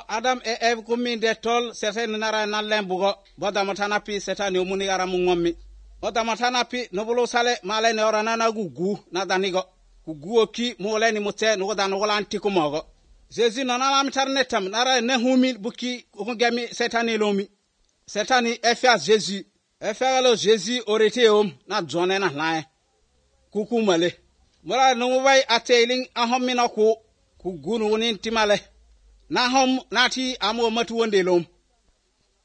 Adam e Eve kumi de tol seten nara na lembugo bodamatana pi setani omuni gara mungommi bodamatana pi nobolo sale male ne orana na gugu na danigo gugu oki mole ni mute no dan wala antikumogo Jésus nana lam tarnetam nara ne humi buki ngemi setani lomi setani efia Jésus efia lo Jésus orete om na jone na lae kuku male mora no wai ateling ahomi na ku gunu ni timale na hom nati amo matu wonde lom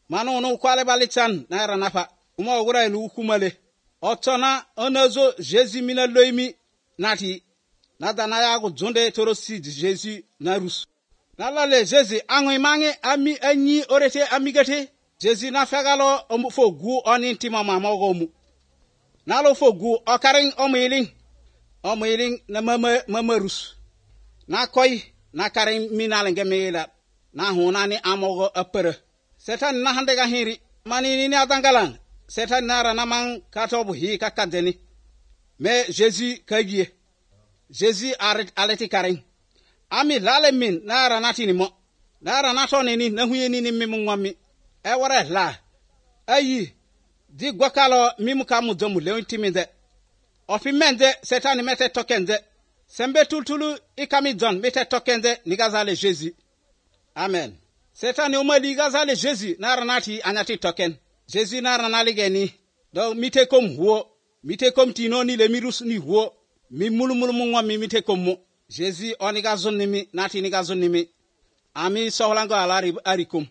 mano no kwale balichan na ranafa uma ogura lu kumale otona onozo Jésus mina loimi nati na dana ya go zonde torosi Jésus na rus na lale Jésus angoi mange ami anyi orete amigate Jésus na fegalo omu fogu oni ntima mama gomu na lo fogu okaring omiling na mama rus na koy na karim minal ngemela na hunani amogo apere setan na hande ga hiri mani ni adangalan setan nara namang katobu hi kakadeni me Jésus kagie Jésus aleti karim ami lale min nara natini mo nara natoni ni na huyeni ni mimungwami e wara la ayi di gwakalo mimukamu domu leontiminde ofimende setan mete tokende sembe tultulu ikami don mete tokende nigazale Jésus amen setani umali gazale Jésus naranati anyati token Jésus naranali geni do mite kom huo mite kom tinoni le mirus ni huo mi mulumulu mungwa mi mite kom mo Jésus onigazon nimi nati nigazon nimi ami sohlango alari arikum